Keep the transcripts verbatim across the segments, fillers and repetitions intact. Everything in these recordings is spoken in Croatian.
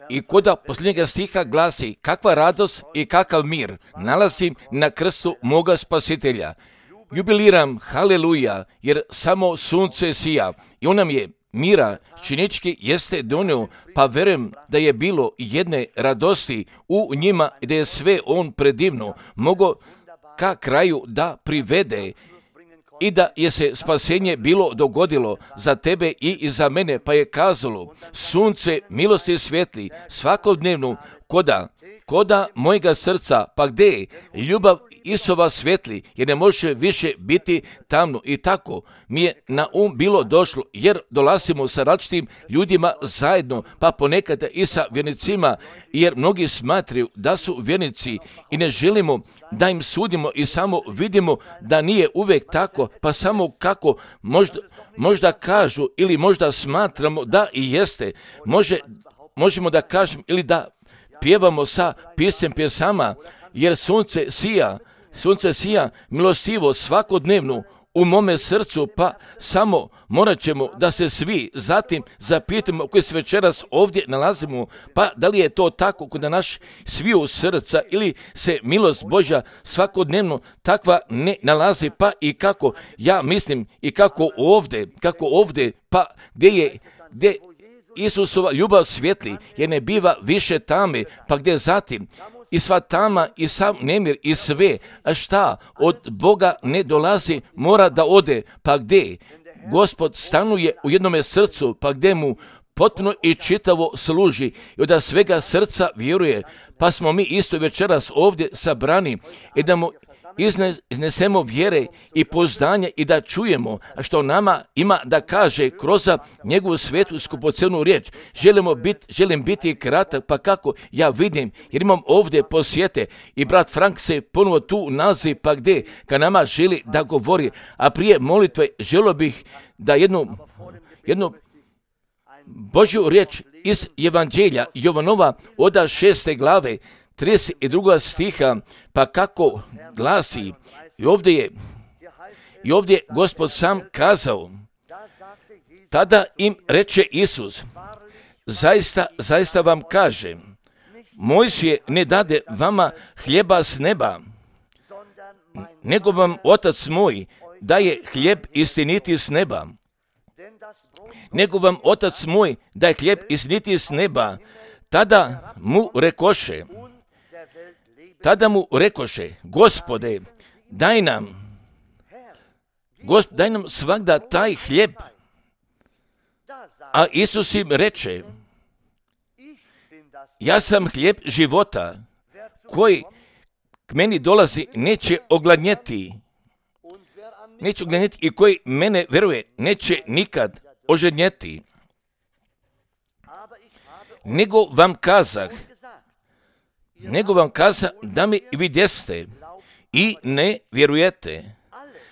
I koda posljednjega stiha glasi, kakva radost i kakav mir nalazim na krstu moga spasitelja. Jubiliram, haleluja, jer samo sunce sija i on nam je mira činički jeste donio, pa verujem da je bilo jedne radosti u njima i da je sve on predivno mogo ka kraju da privede i da je se spasenje bilo dogodilo za tebe i za mene, pa je kazalo, sunce milosti svijetli svakodnevno koda, koda mojega srca, pa gdje je ljubav Isova svijetli, jer ne može više biti tamno. I tako mi je na um bilo došlo, jer dolazimo sa različitim ljudima zajedno, pa ponekad i sa vjernicima, jer mnogi smatraju da su vjernici i ne želimo da im sudimo i samo vidimo da nije uvijek tako, pa samo kako možda, možda kažu ili možda smatramo da i jeste. Može, možemo da kažem ili da pjevamo sa pisem pjesama, jer sunce sija, sunce sija milostivo svakodnevno u mome srcu, pa samo morat ćemo da se svi zatim zapitamo koji se večeras ovdje nalazimo, pa da li je to tako kod naš sviju srca ili se milost Božja svakodnevno takva ne nalazi, pa i kako ja mislim i kako ovdje, kako ovdje, pa gdje je, gdje Isusova ljubav svijetli, jer ne biva više tame, pa gdje zatim i sva tama i sav nemir i sve, a šta od Boga ne dolazi, mora da ode, pa gdje Gospod stanuje u jednome srcu, pa gdje mu potpuno i čitavo služi i od svega srca vjeruje, pa smo mi isto večeras ovdje sabrani i da mu iznesemo vjere i poznanje i da čujemo što nama ima da kaže kroz njegovu svetu skupocenu riječ. Želimo biti, želim biti kratak, pa kako ja vidim, jer imam ovdje posjete i brat Frank se ponovo tu nalazi, pa gdje ka nama želi da govori, a prije molitve želio bih da jednu, jednu Božju riječ iz Evanđelja Jovanova od šeste glave trideset druga stiha, pa kako glasi, i ovdje je, i ovdje je Gospod sam kazao, tada im reče Isus, zaista, zaista vam kažem, Mojsije ne dade vama hljeba s neba, nego vam Otac moj daje hljeb istiniti s neba. Nego vam Otac moj daje hljeb istiniti s neba. Tada mu rekoše, tada mu rekoše, Gospode, daj nam, Gosp, daj nam svagda taj hljeb. A Isus im reče, ja sam hljeb života, koji k meni dolazi neće ogladnjeti, neće ogladnjeti i koji mene veruje neće nikad ožednjeti. Nego vam kazah, nego vam kaza da mi vidjeste i ne vjerujete.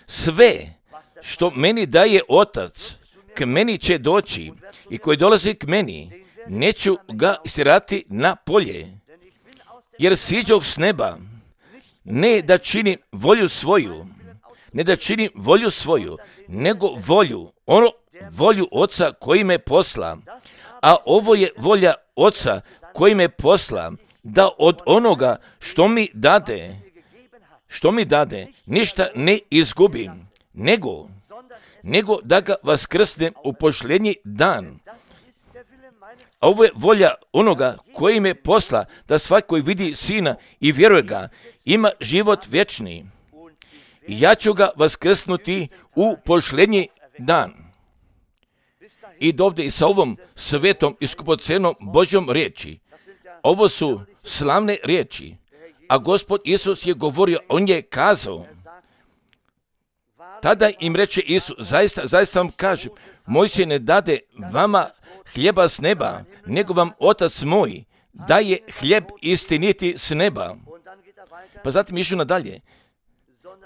Sve što meni daje Otac, k meni će doći i koji dolazi k meni, neću ga istirati na polje. Jer siđoh s neba, ne da činim volju svoju, ne da činim volju svoju, nego volju, ono, volju Oca koji me posla. A ovo je volja Oca koji me posla, da od onoga što mi dade, što mi dade, ništa ne izgubim, nego, nego da ga vaskrsnem u posljednji dan. A ovo je volja onoga koji me posla, da svaki koji vidi Sina i vjeruje ga, ima život vječni. I ja ću ga vaskrsnuti u posljednji dan. I dovde i sa ovom svetom i skupocenom Božjom riječi. Ovo su slavne riječi, a Gospod Isus je govorio, on je kazao. Tada im reče Isus, zaista, zaista vam kažem, Mojsije ne dade vama hljeba s neba, nego vam Otac moj daje hljeb istiniti s neba. Pa zatim išao nadalje,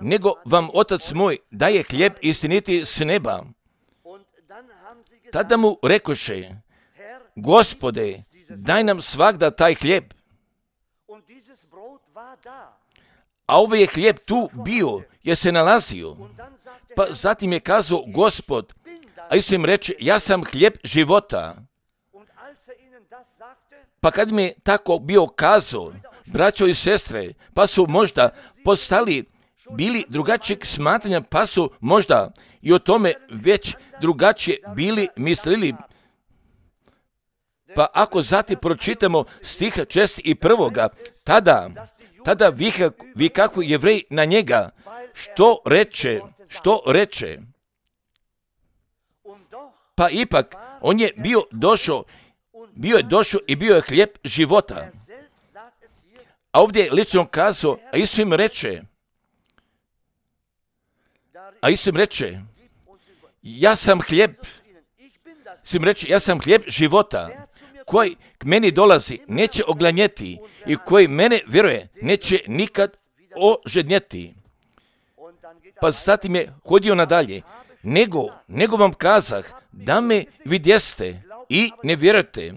nego vam Otac moj daje hljeb istiniti s neba. Tada mu rekoše, Gospode, daj nam svagda taj hljeb. A ovaj je hljeb tu bio, jer se nalazio. Pa zatim je kazao Gospod, a Isus im reče, ja sam hljeb života. Pa kad mi je tako bio kazao, braćo i sestre, pa su možda postali, bili drugačijeg smatranja, pa su možda i o tome već drugačije bili mislili. Pa ako zatim pročitamo stiha čest i prvoga, tada, tada vika, vikaku Jevreji na njega, što reče, što reče. Pa ipak, on je bio došao, bio je došao i bio je hljeb života. A ovdje je lično kazao, a Isus im reče, a Isus im reče, ja sam hljeb, Isus im reče, ja sam hljeb života, koji k meni dolazi, neće oglanjeti i koji mene vjeruje, neće nikad ožednjeti. Pa zatim je hodio nadalje, nego, nego vam kazah, da me vidjeste i ne vjerujete.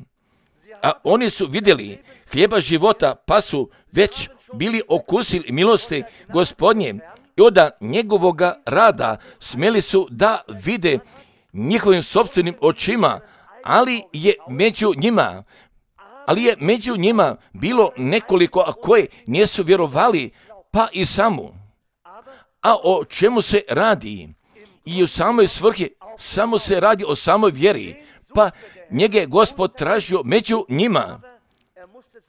A oni su vidjeli hljeba života, pa su već bili okusili milosti Gospodnje i od njegovoga rada smjeli su da vide njihovim sopstvenim očima, ali je među njima, ali je među njima bilo nekoliko, a koji nisu vjerovali, pa i samu. A o čemu se radi? I u samoj svrhi samo se radi o samoj vjeri, pa njega je Gospod tražio među njima.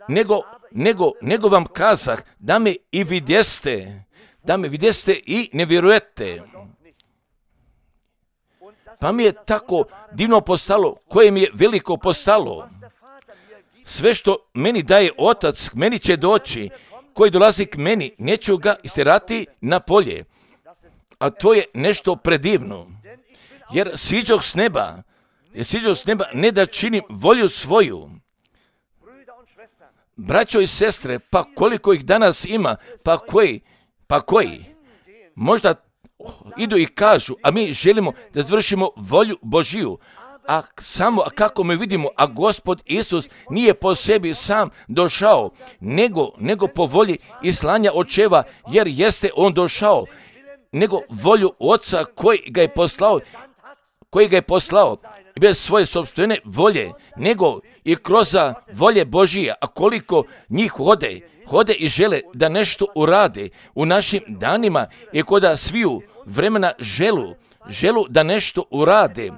Nego, nego, nego vam kazah, da me i vidjeste, da me vidjeste i ne vjerujete. Pa mi je tako divno postalo, koje mi je veliko postalo. Sve što meni daje Otac, k meni će doći, koji dolazi k meni, neću ga istjerati na polje. A to je nešto predivno. Jer siđoh s neba, jer siđoh s neba ne da činim volju svoju. Braćo i sestre, pa koliko ih danas ima, pa koji, pa koji, možda idu i kažu, a mi želimo da završimo volju Božiju, a samo a kako mi vidimo, a Gospod Isus nije po sebi sam došao, nego, nego po volji i slanja očeva, jer jeste on došao, nego volju Oca koji ga je poslao, koji ga je poslao, bez svoje sopstvene volje, nego i kroz volje Božije, a koliko njih hode, hode i žele da nešto urade u našim danima i koda sviju vremena želu, želu da nešto urade,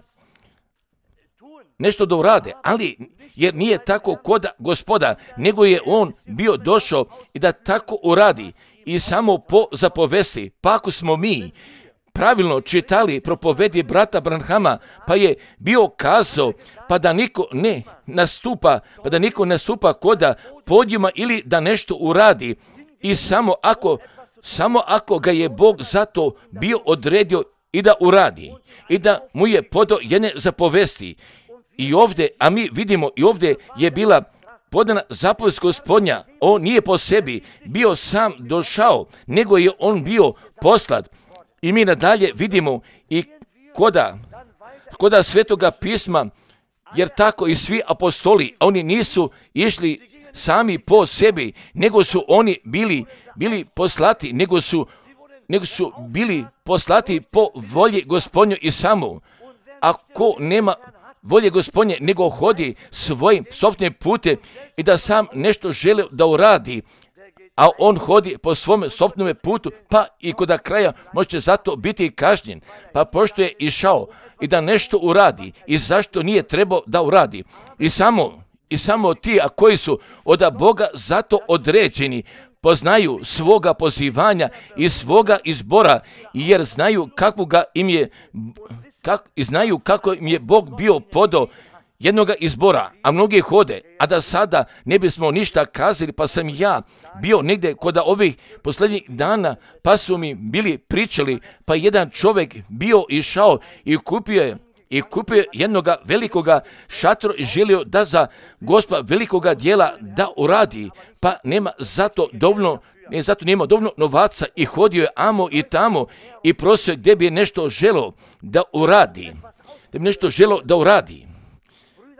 nešto da urade, ali jer nije tako koda Gospoda, nego je on bio došao i da tako uradi i samo po zapovesti. Pa ako smo mi pravilno čitali propovedi brata Branhama, pa je bio kazao, pa da niko ne nastupa, pa da niko nastupa koda podijuma ili da nešto uradi i samo ako, samo ako ga je Bog zato bio odredio i da uradi i da mu je podao jedne zapovesti. I ovdje, a mi vidimo i ovdje je bila podana zapovest Gospodnja, on nije po sebi bio sam došao, nego je on bio poslat. I mi nadalje vidimo i koda, koda Svetoga pisma, jer tako i svi apostoli, oni nisu išli sami po sebi, nego su oni bili, bili poslati, nego su, nego su bili poslati po volji Gospodnju i samo. Ako nema volje Gospodnje, nego hodi svojim sopstvenim putem i da sam nešto želi da uradi, a on hodi po svom sopstvenom putu, pa i kod kraja može zato biti kažnjen. Pa pošto je išao i da nešto uradi i zašto nije trebao da uradi. I samo, i samo ti, a koji su od Boga zato određeni, poznaju svoga pozivanja i svoga izbora, jer znaju kako ga im je, kak, i znaju kako im je Bog bio podao jednoga izbora, a mnogi hode, a da sada ne bismo ništa kazali, pa sam ja bio negdje kod ovih posljednjih dana, pa su mi bili pričali, pa jedan čovjek bio išao i kupio je i kupio jednoga velikoga šatora i želio da za Gospa velikoga dijela da uradi, pa nema zato dovoljno, ne zato nema dovoljno novaca i hodio je amo i tamo i prosio gdje bi nešto želio da uradi, da bi nešto želio da uradi.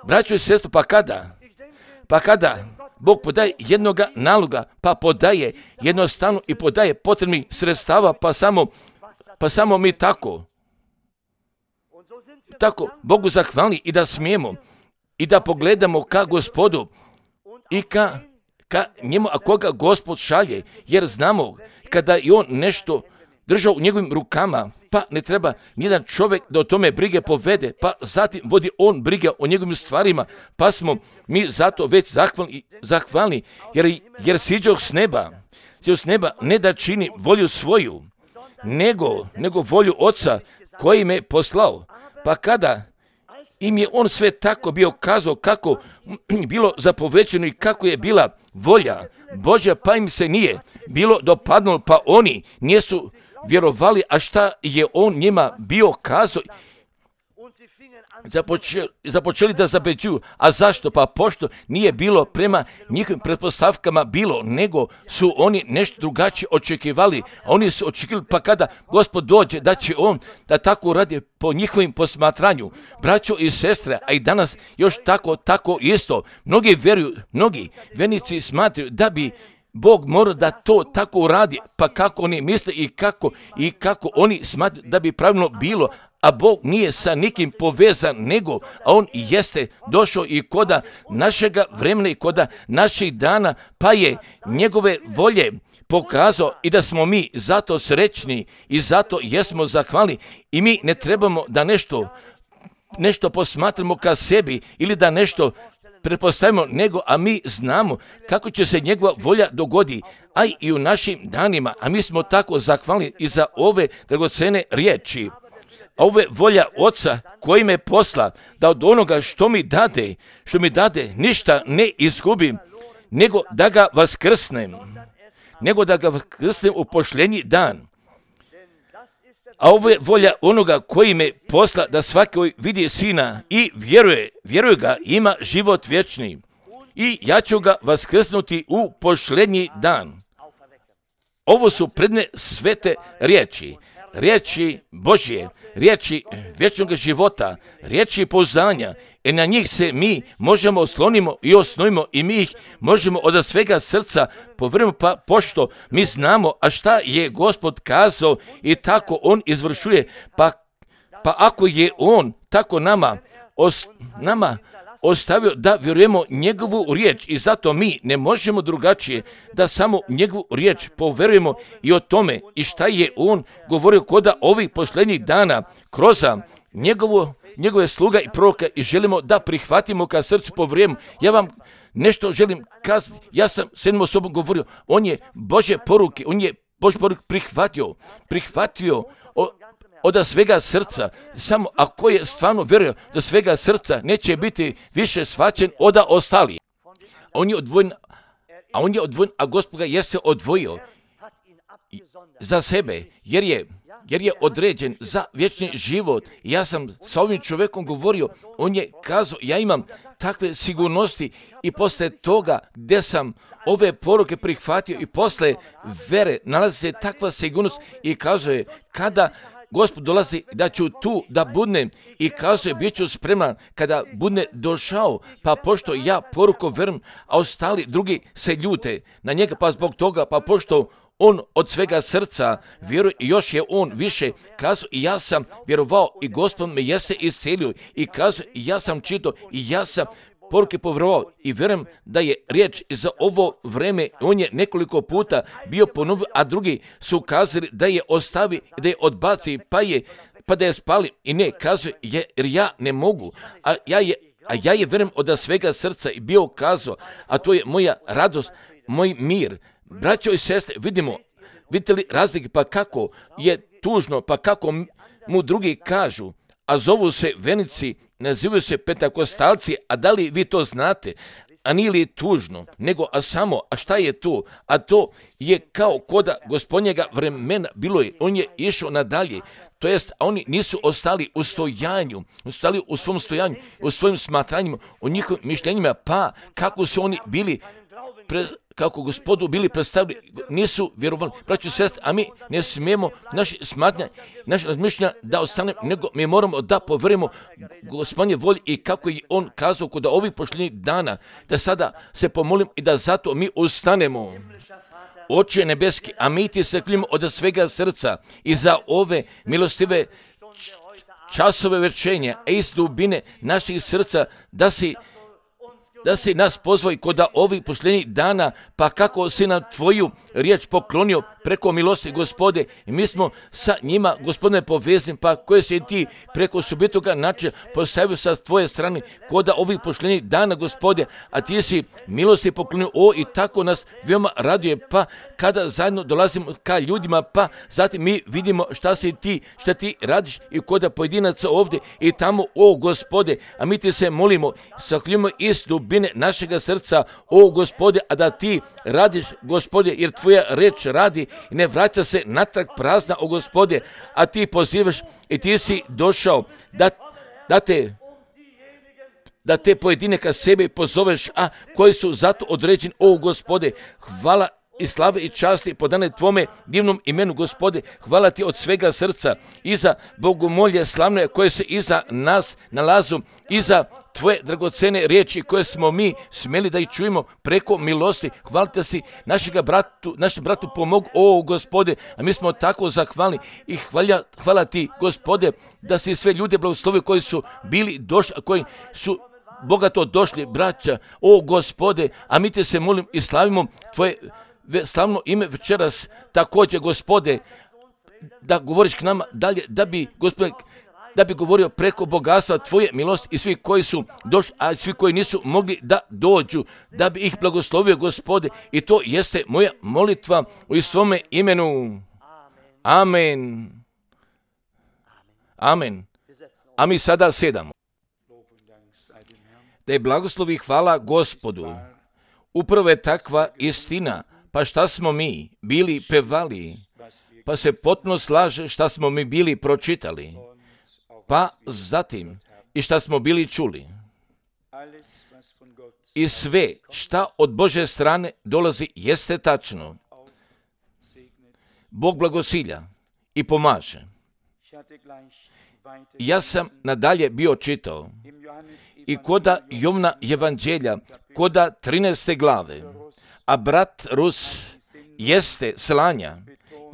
Braćo i sestro, pa kada, pa kada Bog podaje jednoga naloga, pa podaje jednostavno i podaje potrebnih sredstava, pa samo, pa samo mi tako, tako Bogu zahvalni i da smijemo, i da pogledamo ka Gospodu i ka, ka njemu, a koga Gospod šalje, jer znamo kada je on nešto držao u njegovim rukama, pa ne treba nijedan čovjek da o tome brige povede, pa zatim vodi on brige o njegovim stvarima, pa smo mi zato već zahvalni, zahvalni jer, jer siđoh s neba, siđoh s neba ne da čini volju svoju, nego, nego volju Oca koji me poslao. Pa kada im je on sve tako bio kazao kako bilo zapovećeno i kako je bila volja Božja, pa im se nije bilo dopadnulo, pa oni nisu vjerovali, a šta je on njima bio kazao, započeli, započeli da zabeđuju. A zašto? Pa pošto nije bilo prema njihovim pretpostavkama bilo, nego su oni nešto drugačije očekivali. Oni su očekivali, pa kada Gospod dođe, da će on da tako radi po njihovim posmatranju. Braćo i sestre, a i danas još tako, tako isto. Mnogi vjeruju, mnogi vjernici smatraju da bi Bog mora da to tako uradi, pa kako oni misle i kako, i kako oni smatraju da bi pravilno bilo, a Bog nije sa nikim povezan, nego, a on jeste došao i koda našega vremena i koda naših dana, pa je njegove volje pokazao i da smo mi zato srećni i zato jesmo zahvalni i mi ne trebamo da nešto, nešto posmatramo ka sebi ili da nešto pretpostavimo, nego, a mi znamo kako će se njegova volja dogodi, a i u našim danima, a mi smo tako zahvalni i za ove dragocene riječi. A ove volja Oca koji me posla, da od onoga što mi dade, što mi dade, ništa ne izgubim, nego da ga vaskrsnem, nego da ga vaskrsnem u pošljenji dan. A ovo je volja onoga koji me posla, da svaki vidi Sina i vjeruje, vjeruje ga, ima život vječni. I ja ću ga vaskrsnuti u pošljenji dan. Ovo su predne svete riječi, riječi Božje, riječi vječnog života, riječi pouzdanja, i na njih se mi možemo oslonimo i osnovimo i mi ih možemo od svega srca povjerujemo, pa pošto mi znamo, a šta je Gospod kazao i tako on izvršuje, pa, pa ako je on tako nama, os, nama ostavio da vjerujemo njegovu riječ i zato mi ne možemo drugačije da samo njegovu riječ povjerujemo i o tome i šta je on govorio koda ovih posljednjih dana kroz njegovu, njegove sluga i proroka i želimo da prihvatimo ka srcu povjerujemo. Ja vam nešto želim kazati, ja sam s jednom osobom govorio, on je Božje poruke, on je Božje poruke prihvatio, prihvatio o, od svega srca, samo ako je stvarno vjerio do svega srca, neće biti više shvaćen od ostalih. On je odvojen, a on je odvojen, a Gospod ga jeste odvojio za sebe, jer je, jer je određen za vječni život. Ja sam sa ovim čovjekom govorio, on je kazao, ja imam takve sigurnosti i posle toga gdje sam ove poruke prihvatio i posle vere nalazi se takva sigurnost i kazuje, kada Gospod dolazi da ću tu da budnem i kazuje, bit ću spreman kada budne došao, pa pošto ja poruku verujem, a ostali drugi se ljute na njega, pa zbog toga, pa pošto on od svega srca vjeruje i još je on više kazao i ja sam vjerovao i Gospod me jeste iscelio i kazuje i ja sam čitao i ja sam poruke povjerovao i vjerujem da je riječ za ovo vreme, on je nekoliko puta bio ponovio, a drugi su kazali da je ostavi, da je odbaci, pa je, pa da je spali i ne, kazuje jer ja ne mogu, a ja je, a ja je vjerujem od svega srca i bio kazao, a to je moja radost, moj mir. Braćo i sestre, vidimo, vidite li razlike, pa kako je tužno, pa kako mu drugi kažu, a zovu se vjernici, nazivaju se pentakostalci, a da li vi to znate? A nije li tužno, nego a samo, a šta je to? A to je kao koda gospodnjega vremena bilo je, on je išao nadalje, to jest, a oni nisu ostali u stojanju, ostali u svom stojanju, u svojim smatranjima, u njihovim mišljenjima, pa kako su oni bili pre, kako Gospodu bili predstavili, nisu vjerovali. Braćo i sestre, a mi ne smijemo naše smatranja, naše razmišljanja da ostanemo, nego mi moramo da povjerujemo Gospodnje volji i kako je on kazao kod ovih posljednjih dana, da sada se pomolim i da zato mi ustanemo. Oče nebeski, a mi ti se klinimo od svega srca i za ove milostive časove verčenja, a iz dubine naših srca, da si da si nas pozvao i kod ovih posljednjih dana, pa kako si nam tvoju riječ poklonio preko milosti, Gospode, i mi smo sa njima, Gospodine, povezani, pa koje si ti preko subitoga načina postavio sa tvoje strane kod ovih posljednjih dana, Gospode, a ti si milosti poklonio, o, i tako nas veoma raduje, pa kada zajedno dolazimo ka ljudima, pa zatim mi vidimo šta si ti, šta ti radiš i kod pojedinaca ovdje i tamo, o, Gospode, a mi ti se molimo, sakljujemo iz dubine našega srca, o, Gospode, a da ti radiš, Gospode, jer tvoja reč radi i ne vraća se natrag prazna, o, Gospode, a ti pozivaš i ti si došao da, da te da te pojedine ka sebi pozoveš, a koji su zato određeni, o, Gospode, hvala i slave i časti podane tvome divnom imenu, Gospode, hvala ti od svega srca i za bogomolje slavne koje se iza nas nalazu, iza tvoje dragocene riječi koje smo mi smjeli da ih čujemo preko milosti. Hvala te si našega bratu, našem bratu pomogu, o, Gospode, a mi smo tako zahvalni i hvala, hvala ti, Gospode, da si sve ljude blagoslovio koji su bili došli, a koji su bogato došli, braća, o, Gospode, a mi te se molim i slavimo tvoje slavno ime večeras, također, Gospode, da govoriš k nama dalje, da bi, Gospode, da bi govorio preko bogatstva tvoje milosti i svi koji su došli, a svi koji nisu mogli da dođu, da bi ih blagoslovio, Gospode, i to jeste moja molitva u svome imenu. Amen. Amen. A mi sada sedamo. Da je blagoslovi i hvala Gospodu. Upravo je takva istina. Pa šta smo mi bili pevali, pa se potpuno slaže šta smo mi bili pročitali, pa zatim i šta smo bili čuli. I sve šta od Božje strane dolazi jeste tačno. Bog blagosilja i pomaže. Ja sam nadalje bio čitao i koda Jovna evanđelja, koda trinaeste glave, a brat Rus jeste slanja,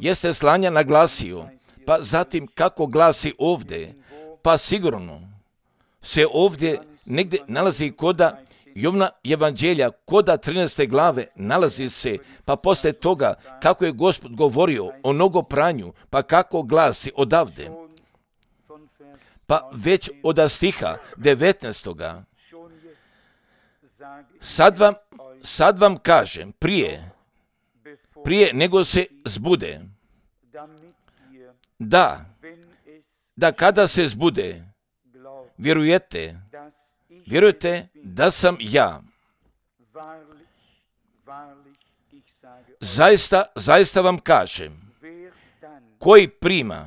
jeste slanja naglasio, pa zatim kako glasi ovdje, pa sigurno se ovdje negdje nalazi koda Jovna evanđelja, koda trinaeste glave nalazi se, pa poslije toga kako je Gospod govorio o nogopranju, pa kako glasi odavde, pa već od stiha devetnaestoga. Sad vam, sad vam kažem, prije, prije nego se zbude, da, da kada se zbude, vjerujete, vjerujete da sam ja. Zaista, zaista vam kažem, koji prima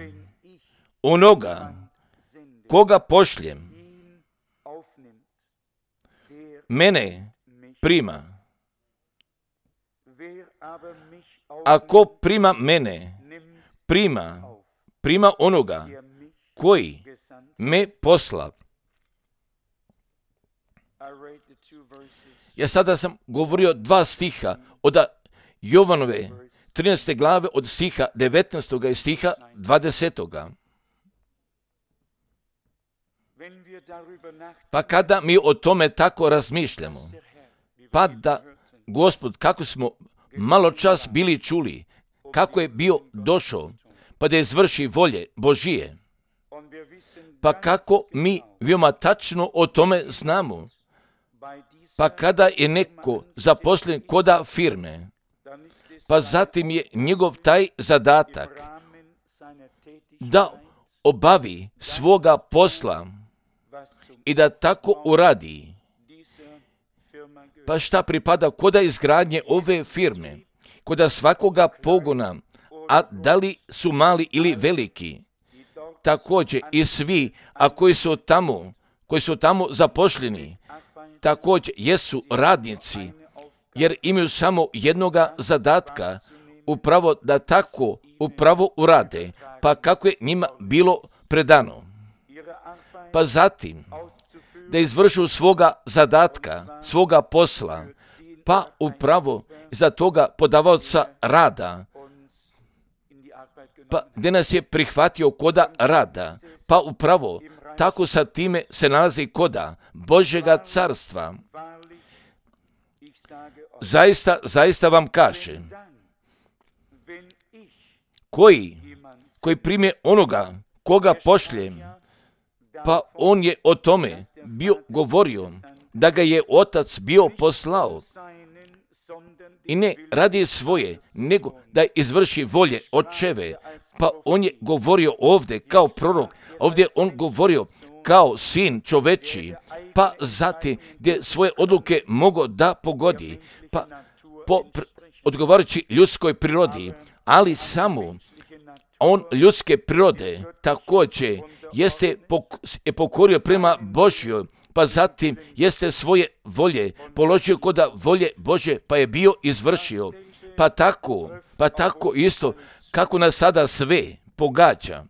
onoga koga pošljem, mene prima. Ako prima mene, prima, prima onoga koji me posla. Ja sada sam govorio dva stiha od Jovanove trinaeste glave, od stiha devetnaestoga i stiha dvadesetoga. Pa kada mi o tome tako razmišljamo, pa da Gospod, kako smo malo čas bili čuli, kako je bio došao, pa da izvrši volje Božije, pa kako mi veoma tačno o tome znamo, pa kada je neko zaposlen koda firme, pa zatim je njegov taj zadatak da obavi svoga posla i da tako uradi. Pa šta pripada koda izgradnje ove firme, koda svakoga pogona, a da li su mali ili veliki, također i svi, a koji su tamo, koji su tamo zaposleni, također jesu radnici, jer imaju samo jednoga zadatka, upravo da tako upravo urade, pa kako je njima bilo predano. Pa zatim, da izvršu svoga zadatka, svoga posla, pa upravo za toga podavaoca rada pa gdje nas je prihvatio koda rada, pa upravo tako sa time se nalazi koda Božjega carstva. Zaista, zaista vam kaže, koji, koji prime onoga koga pošljem, pa on je o tome bio govorio, da ga je Otac bio poslao. I ne radi svoje, nego da izvrši volje Očeve. Pa on je govorio ovdje kao prorok, ovdje on govorio kao sin čoveči, pa zatim gdje svoje odluke mogo da pogodi, pa po pr- odgovarajući ljudskoj prirodi, ali samo on ljudske prirode također jeste pok- je pokorio prema Božjoj, pa zatim jeste svoje volje položio koda volje Božje, pa je bio izvršio. Pa tako, pa tako isto kako nas sada sve pogađa.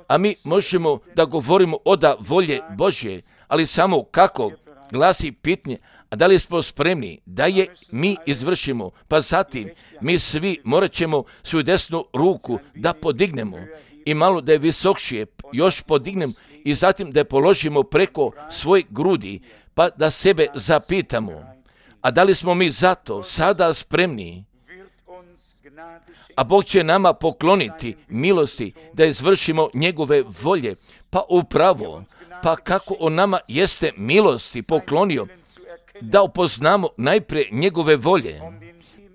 A mi možemo da govorimo oda volje Božje, ali samo kako glasi pitanje, a da li smo spremni da je mi izvršimo, pa zatim mi svi morat ćemo svoju desnu ruku da podignemo i malo da je visokšije još podignemo i zatim da je položimo preko svoj grudi, pa da sebe zapitamo, a da li smo mi zato sada spremni? A Bog će nama pokloniti milosti da izvršimo njegove volje, pa upravo, pa kako on nama jeste milosti poklonio, da upoznamo najprije njegove volje,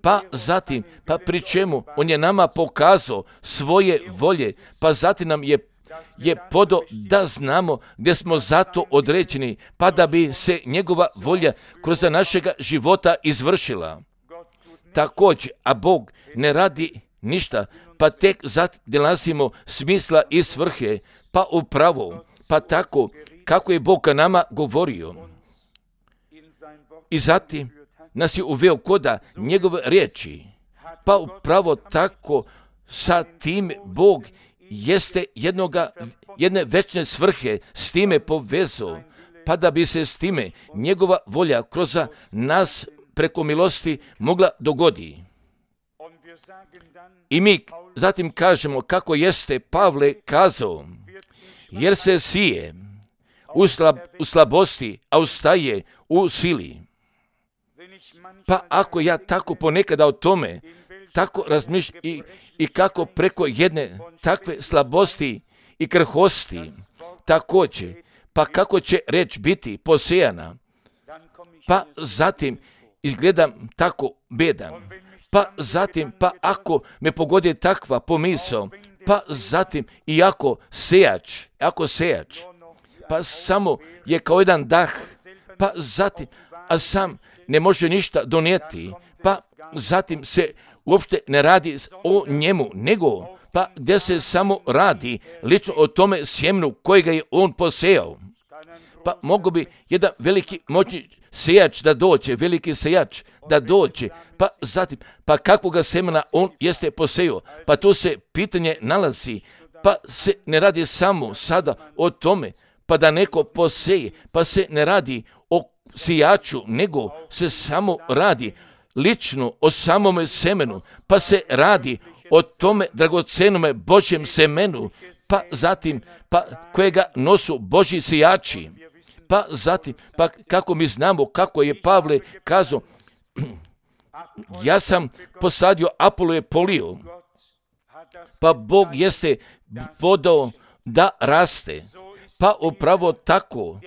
pa zatim, pa pri čemu on je nama pokazao svoje volje, pa zatim nam je, je podo da znamo gdje smo zato određeni, pa da bi se njegova volja kroz našega života izvršila. Također, a Bog ne radi ništa, pa tek zatim nalazimo smisla i svrhe, pa upravo, pa tako kako je Bog nama govorio. I zatim nas je uveo koda njegove riječi, pa upravo tako sa tim Bog jeste jednoga, jedne večne svrhe s time povezao, pa da bi se s time njegova volja kroz nas preko milosti mogla dogodi. I mi zatim kažemo kako jeste Pavle kazao, jer se sije u, slab, u slabosti, a ustaje u sili. Pa ako ja tako ponekada o tome tako razmišljam i, i kako preko jedne takve slabosti i krhosti također, pa kako će reč biti posejana, pa zatim izgledam tako bedan, pa zatim, pa ako me pogodi takva pomisao, pa zatim i ako sejač, ako sejač, pa samo je kao jedan dah, pa zatim, a sam ne može ništa donijeti, pa zatim se uopšte ne radi o njemu, nego pa gdje se samo radi lično o tome sjemenu kojega je on posejao. Pa mogu bi jedan veliki moćni sejač da dođe, veliki sejač da dođe, pa zatim, pa kakvoga semena on jeste posejao, pa tu se pitanje nalazi, pa se ne radi samo sada o tome, pa da neko poseje, pa se ne radi o sijaču, nego se samo radi lično o samome semenu, pa se radi o tome dragocenome Božjem semenu, pa zatim, pa kojega nosu Božji sijači, pa zatim, pa kako mi znamo kako je Pavle kazao, ja sam posadio, Apolo je polio, pa Bog jeste podao da raste, pa upravo tako,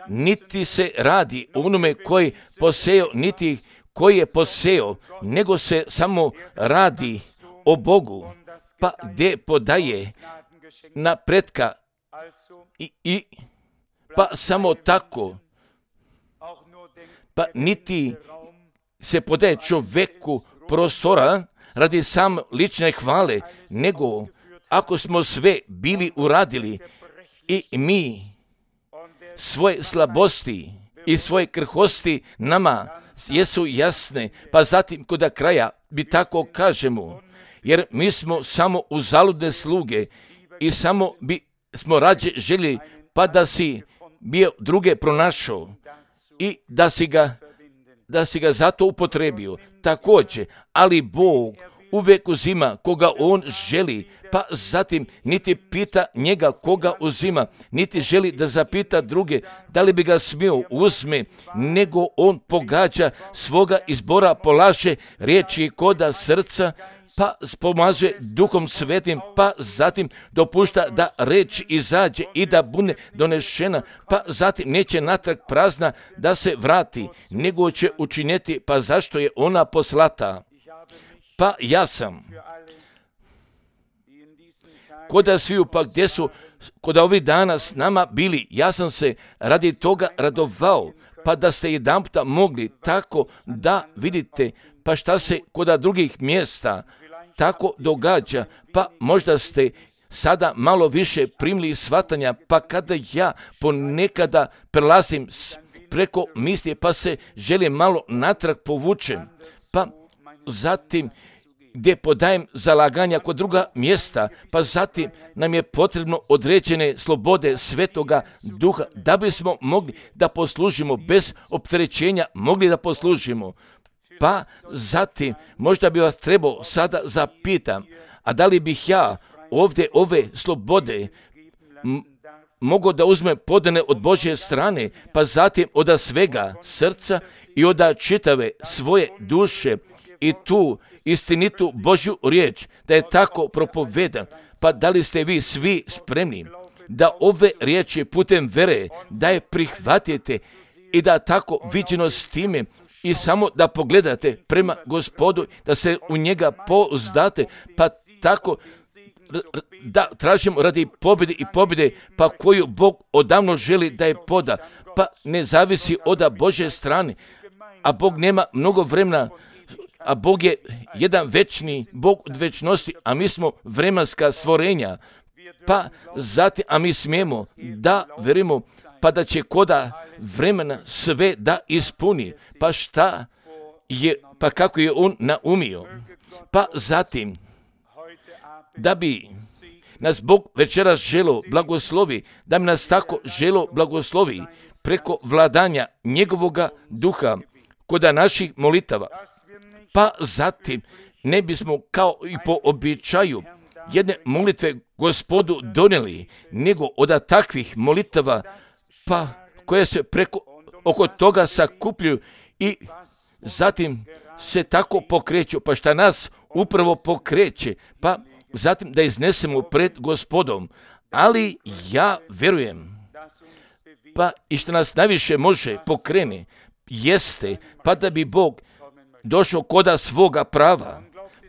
niti se radi o onome koji poseo, niti koji je poseo, nego se samo radi o Bogu, pa gdje podaje napretka i, i pa samo tako, pa niti se podaje čovjeku prostora radi sam lične hvale, nego ako smo sve bili uradili i mi svoje slabosti i svoje krhosti nama jesu jasne, pa zatim kod kraja bi tako kažemo, jer mi smo samo uzaludne sluge i samo bi smo rađe željeli pa da si bio druge pronašao i da si ga, da si ga zato upotrebio. Također, ali Bog uvijek uzima koga on želi, pa zatim niti pita njega koga uzima, niti želi da zapita druge da li bi ga smio uzme, nego on pogađa svoga izbora, polaže riječi koda srca, pa pomazuje Duhom Svetim, pa zatim dopušta da reč izađe i da bude donešena, pa zatim neće natrag prazna da se vrati, nego će učiniti, pa zašto je ona poslata. Pa ja sam koda sviju, pa gdje su koda ovih dana s nama bili, ja sam se radi toga radovao, pa da ste jedanputa mogli tako da vidite, pa šta se koda drugih mjesta tako događa, pa možda ste sada malo više primili shvatanja, pa kada ja ponekada prelazim preko misli, pa se želim malo natrag povučem, pa zatim gdje podajem zalaganja kod druga mjesta, pa zatim nam je potrebno određene slobode Svetoga Duha da bismo mogli da poslužimo bez opterećenja, mogli da poslužimo. Pa zatim možda bi vas trebao sada zapitam, a da li bih ja ovdje ove slobode m- mogao da uzmem podane od Božje strane, pa zatim od svega srca i od čitave svoje duše i tu istinitu Božju riječ, da je tako propovedan, pa da li ste vi svi spremni da ove riječi putem vere da je prihvatite i da tako viđeno s time i samo da pogledate prema Gospodu, da se u njega pouzdate, pa tako da tražimo radi pobjede i pobjede, pa koju Bog odavno želi da je poda, pa ne zavisi od Božje strane, a Bog nema mnogo vremena, a Bog je jedan večni Bog od večnosti, a mi smo vremenska stvorenja, pa zatim, a mi smijemo da verimo, pa da će koda vremena sve da ispuni, pa šta je, pa kako je on naumio, pa zatim, da bi nas Bog večeras želo blagoslovi, da bi nas tako želo blagoslovi preko vladanja njegovoga duha koda naših molitava, pa zatim ne bismo kao i po običaju jedne molitve Gospodu donijeli, nego od takvih molitava, pa koje se preko oko toga sakupljuju i zatim se tako pokreću, pa šta nas upravo pokreće, pa zatim da iznesemo pred Gospodom, ali ja vjerujem, pa i što nas najviše može pokrene, jeste, pa da bi Bog došao koda svoga prava,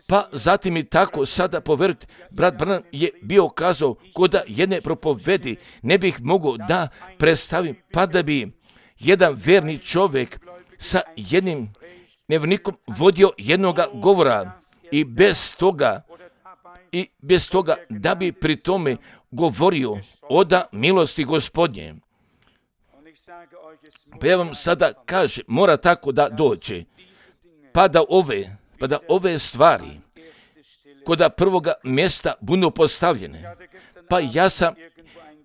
pa zatim i tako sada poverujte, brat Branham je bio kazao koda jedne propovedi, ne bih mogao da predstavim, pa da bi jedan verni čovjek sa jednim nevjernikom vodio jednoga govora i bez toga, i bez toga da bi pri tome govorio oda milosti Gospodnje. Pa ja vam sada kažem, mora tako da dođe, pa da ove, pa da ove stvari koda prvoga mjesta budu postavljene. Pa ja sam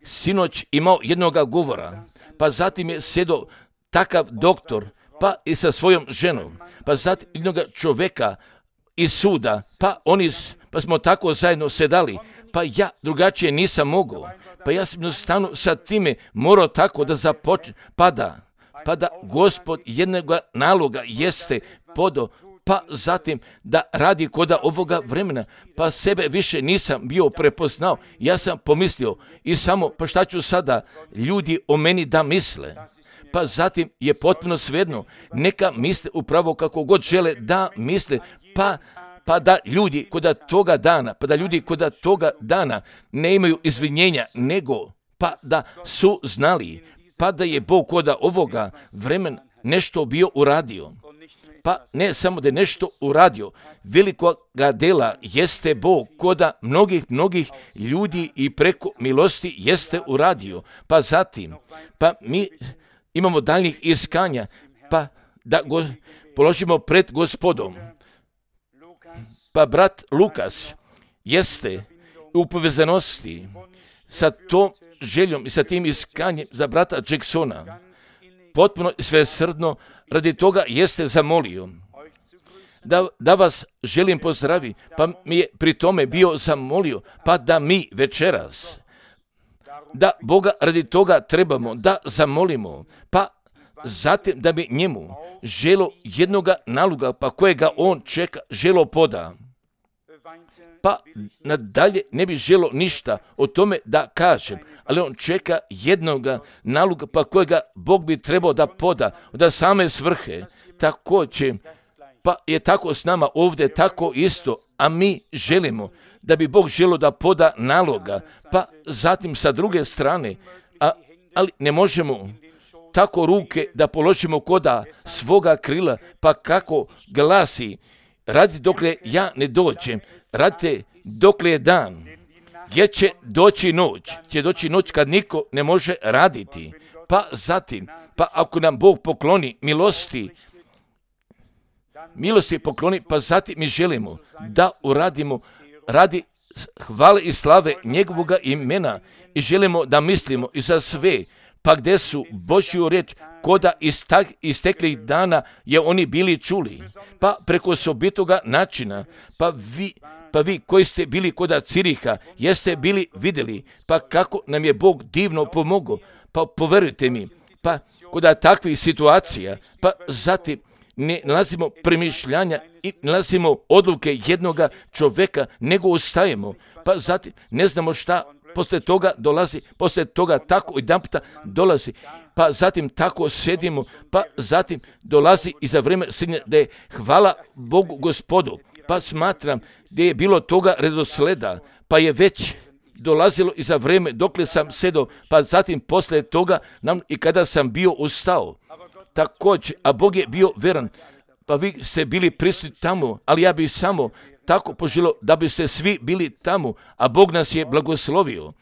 sinoć imao jednoga govora, pa zatim je sjedo takav doktor, pa i sa svojom ženom, pa zatim jednoga čovjeka iz suda, pa oni, pa smo tako zajedno sedali, pa ja drugačije nisam mogao, pa ja sam jednostavno sa time morao tako da započnem, pa da, pa da Gospod jednog naloga jeste podo, pa zatim da radi koda ovoga vremena, pa sebe više nisam bio prepoznao, ja sam pomislio i samo, pa šta ću sada ljudi o meni da misle, pa zatim je potpuno svejedno, neka misle upravo kako god žele da misle, pa pa da ljudi koda toga dana, pa da ljudi koda toga dana ne imaju izvinjenja, nego pa da su znali, pa da je Bog koda ovoga vremena nešto bio uradio. Pa ne samo da je nešto uradio, velikoga dela jeste Bog koda mnogih, mnogih ljudi i preko milosti jeste uradio. Pa zatim, pa mi imamo daljnjih iskanja, pa da go položimo pred Gospodom. Pa brat Lukas jeste u povezanosti sa tom željom i sa tim iskanjem za brata Jacksona. Potpuno svesrdno radi toga jeste zamolio da, da vas želim pozdravi, pa mi je pri tome bio zamolio, pa da mi večeras, da Boga radi toga trebamo da zamolimo, pa zatim da bi njemu želo jednoga naloga, pa kojega on čeka, želo poda. Pa nadalje ne bi želo ništa o tome da kažem, ali on čeka jednoga naloga, pa kojega Bog bi trebao da poda, da same svrhe. Također, pa je tako s nama ovdje, tako isto, a mi želimo da bi Bog želio da poda naloga, pa zatim sa druge strane, a, ali ne možemo tako ruke da položimo koda svoga krila, pa kako glasi, radi dokle ja ne dođem, radite dokle je dan, jer će doći noć, će doći noć kad niko ne može raditi, pa zatim, pa ako nam Bog pokloni milosti, milosti pokloni, pa zatim mi želimo da uradimo radi hvale i slave njegovoga imena i želimo da mislimo i za sve, pa gdje su Božju riječ koda isteklih dana je oni bili čuli, pa preko osobitoga načina, pa vi, pa vi koji ste bili koda Ciriha, jeste bili vidjeli, pa kako nam je Bog divno pomogao, pa poverujte mi, pa koda takvih situacija, pa zatim ne nalazimo premišljanja i nalazimo odluke jednoga čovjeka, nego ustajemo, pa zatim ne znamo šta poslije toga dolazi, poslije toga tako jedan puta dolazi, pa zatim tako sedimo, pa zatim dolazi i za vrijeme srednje da je hvala Bogu Gospodu, pa smatram da je bilo toga redosleda, pa je već dolazilo i za vrijeme dokle sam sedao, pa zatim poslije toga nam i kada sam bio ustao. Također, a Bog je bio veran, pa vi ste bili prisutni tamo, ali ja bih samo tako poželio da biste svi bili tamo, a Bog nas je blagoslovio.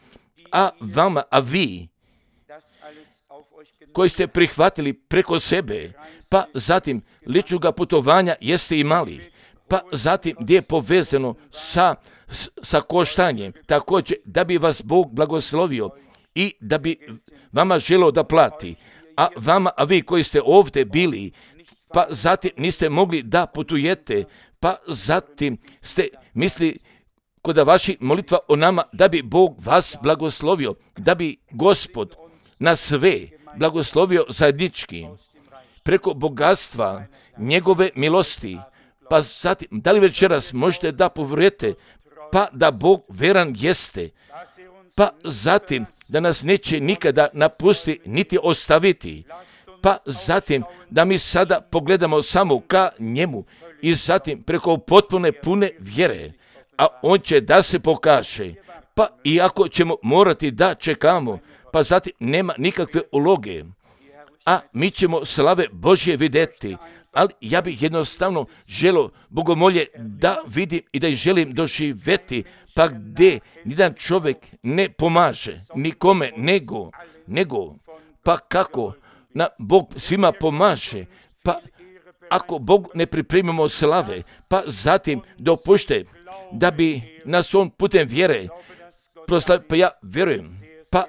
A vama, a vi, koji ste prihvatili preko sebe, pa zatim ličnoga putovanja jeste imali, pa zatim gdje je povezano sa, sa koštanjem, također da bi vas Bog blagoslovio i da bi vama želio da plati. A vama, a vi koji ste ovdje bili, pa zatim niste mogli da putujete, pa zatim ste misli kod vaši molitva o nama da bi Bog vas blagoslovio, da bi Gospod na sve blagoslovio zajednički preko bogatstva njegove milosti. Pa zatim, da li večeras možete da povjerujete, pa da Bog veran jeste, pa zatim da nas neće nikada napusti niti ostaviti, pa zatim da mi sada pogledamo samo ka njemu i zatim preko potpune pune vjere, a on će da se pokaže, pa iako ćemo morati da čekamo, pa zatim nema nikakve uloge, a mi ćemo slave Božje vidjeti, ali ja bih jednostavno želio bogomolje da vidim i da ih želim doživjeti, pa gdje nijedan čovjek ne pomaže nikome nego, nego pa kako na Bog svima pomaže, pa ako Bog ne pripremimo slave, pa zatim dopušte da bi nas on putem vjere proslavio, pa ja vjerujem, pa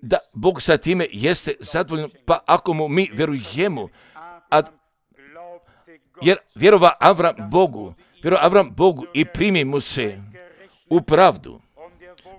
da Bog sa time jeste zadovoljan, pa ako mu mi vjerujemo, a jer vjerova Avram Bogu, vjerova Avram Bogu i primi mu se u pravdu,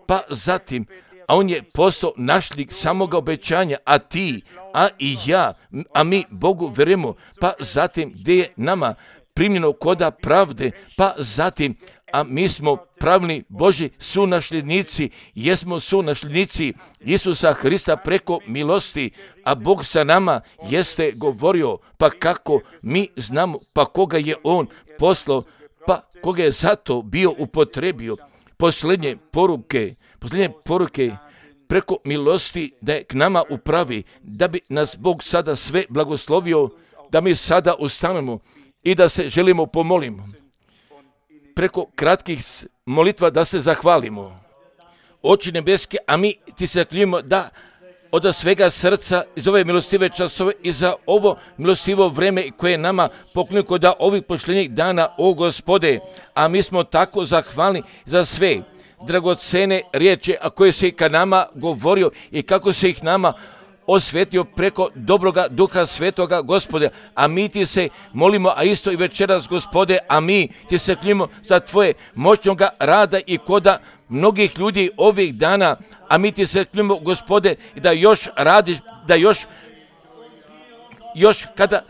pa zatim, a on je postao našlik samoga obećanja, a ti, a i ja, a mi Bogu vjerujemo, pa zatim gdje je nama primljeno koda pravde, pa zatim, a mi smo pravni Božji sunasljednici, jesmo sunasljednici Isusa Hrista preko milosti, a Bog sa nama jeste govorio, pa kako mi znamo, pa koga je on poslao, pa koga je zato bio upotrebio. Posljednje poruke, posljednje poruke preko milosti da je k nama upravi, da bi nas Bog sada sve blagoslovio, da mi sada ustanemo i da se želimo pomolimo. Preko kratkih molitva da se zahvalimo. Oči nebeske, a mi ti se zaklinjujemo da od svega srca iz ove milostive časove i za ovo milostivo vreme koje je nama poklonio kod ovih posljednjih dana, o Gospode, a mi smo tako zahvalni za sve dragocene riječi, a koje se i ka nama govorio i kako se ih nama osvetio preko dobroga duha svetoga, Gospode, a mi ti se molimo, a isto i večeras, Gospode, a mi ti se kljimo za tvoje moćnoga rada i koda mnogih ljudi ovih dana, a mi ti se kljimo, Gospode, da još radiš, da još još kada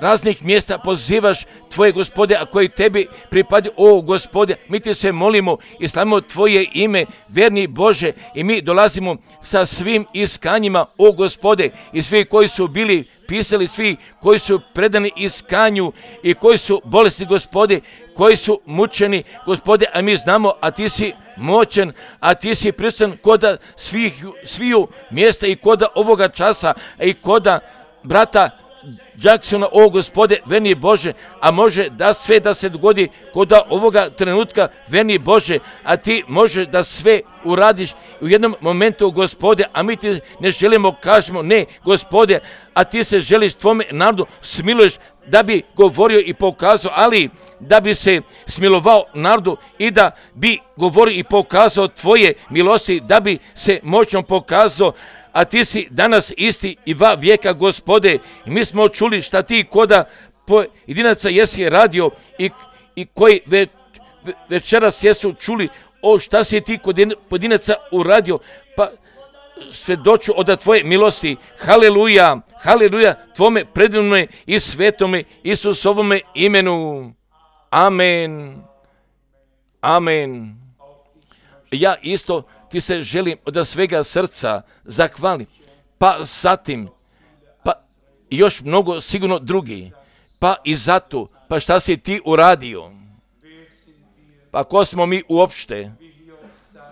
raznih mjesta pozivaš tvoje, Gospode, a koji tebi pripadi, o Gospode, mi ti se molimo i slavimo tvoje ime, verni Bože, i mi dolazimo sa svim iskanjima, o Gospode, i svi koji su bili pisali, svi koji su predani iskanju i koji su bolesni, Gospode, koji su mučeni, Gospode, a mi znamo, a ti si moćan, a ti si prisutan koda svih, sviju mjesta i koda ovoga časa, i koda brata Jacksona, o Gospode, verni Bože, a može da sve da se dogodi koda ovoga trenutka, verni Bože, a ti može da sve uradiš u jednom momentu, Gospode, a mi ti ne želimo, kažemo ne, Gospode, a ti se želiš tvome narodu smiluješ da bi govorio i pokazao, ali da bi se smilovao narodu i da bi govorio i pokazao tvoje milosti, da bi se moćno pokazao, a ti si danas isti i va vijeka, Gospode, i mi smo čuli šta ti koda pojedinaca jesi radio i, i koji ve, ve, večeras jesu čuli o šta si ti kod pojedinaca uradio, pa svedoču od tvoje milosti. Haleluja, haleluja, tvome predivnome i svetome Isusovome imenu. Amen, amen. Ja isto ti se želim od svega srca zahvalim, pa zatim, pa još mnogo sigurno drugi, pa i zato, pa šta si ti uradio, pa ko smo mi uopšte,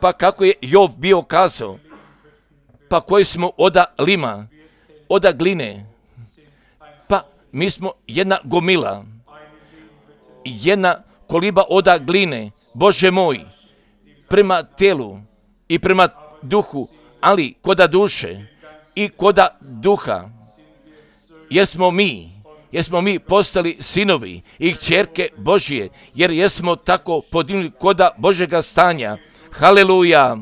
pa kako je Jov bio kazao, pa koji smo oda lima, oda gline, pa mi smo jedna gomila, jedna koliba oda gline, Bože moj, prema telu i prema duhu, ali koda duše i koda duha, jesmo mi, jesmo mi postali sinovi i kćerke Božije, jer jesmo tako podignuti koda Božega stanja. Haleluja!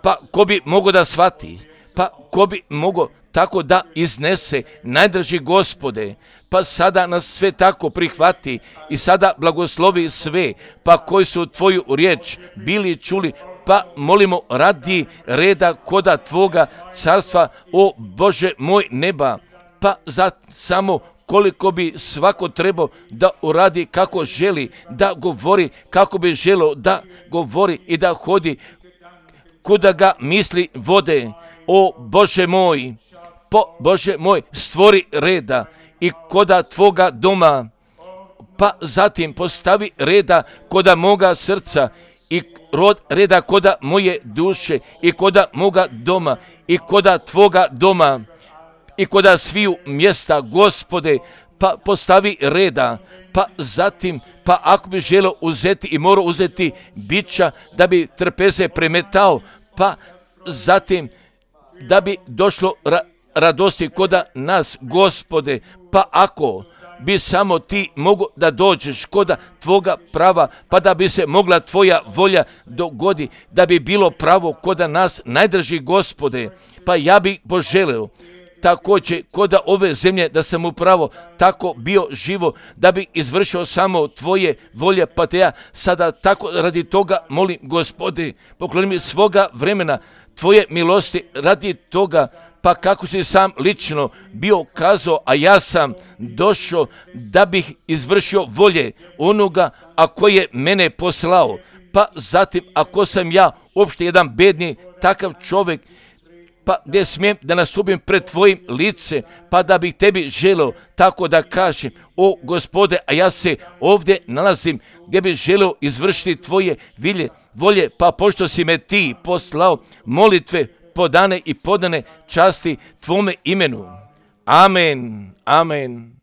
Pa ko bi mogao da shvati, pa ko bi mogao tako da iznese, najdraži Gospode, pa sada nas sve tako prihvati i sada blagoslovi sve, pa koji su tvoju riječ bili čuli, pa molimo radi reda koda tvoga carstva, o Bože moj neba, pa za samo koliko bi svako trebao da uradi kako želi, da govori kako bi želio da govori i da hodi kuda ga misli vode, o Bože moj, po Bože moj, stvori reda i koda tvoga doma, pa zatim postavi reda koda moga srca i rod reda koda moje duše i koda moga doma i koda tvoga doma i koda sviju mjesta, Gospode, pa postavi reda, pa zatim, pa ako bi želio uzeti i morao uzeti bića da bi trpeze premetao, pa zatim da bi došlo ra- radosti koda nas, Gospode, pa ako bi samo ti mogo da dođeš koda tvoga prava, pa da bi se mogla tvoja volja dogodi, da bi bilo pravo koda nas, najdrži Gospode, pa ja bih poželeo također koda ove zemlje da sam upravo tako bio živo, da bi izvršio samo tvoje volje, pa te ja sada tako radi toga molim, Gospode, pokloni mi svoga vremena, tvoje milosti radi toga, pa kako si sam lično bio kazao, a ja sam došao da bih izvršio volje onoga, a koji je mene poslao, pa zatim ako sam ja uopšte jedan bedni takav čovjek, pa gdje smijem da nastupim pred tvojim lice, pa da bih tebi želio tako da kažem, o Gospode, a ja se ovdje nalazim gdje bih želio izvršiti tvoje vilje, volje, pa pošto si me ti poslao, molitve podane i podane časti tvome imenu. Amen, amen.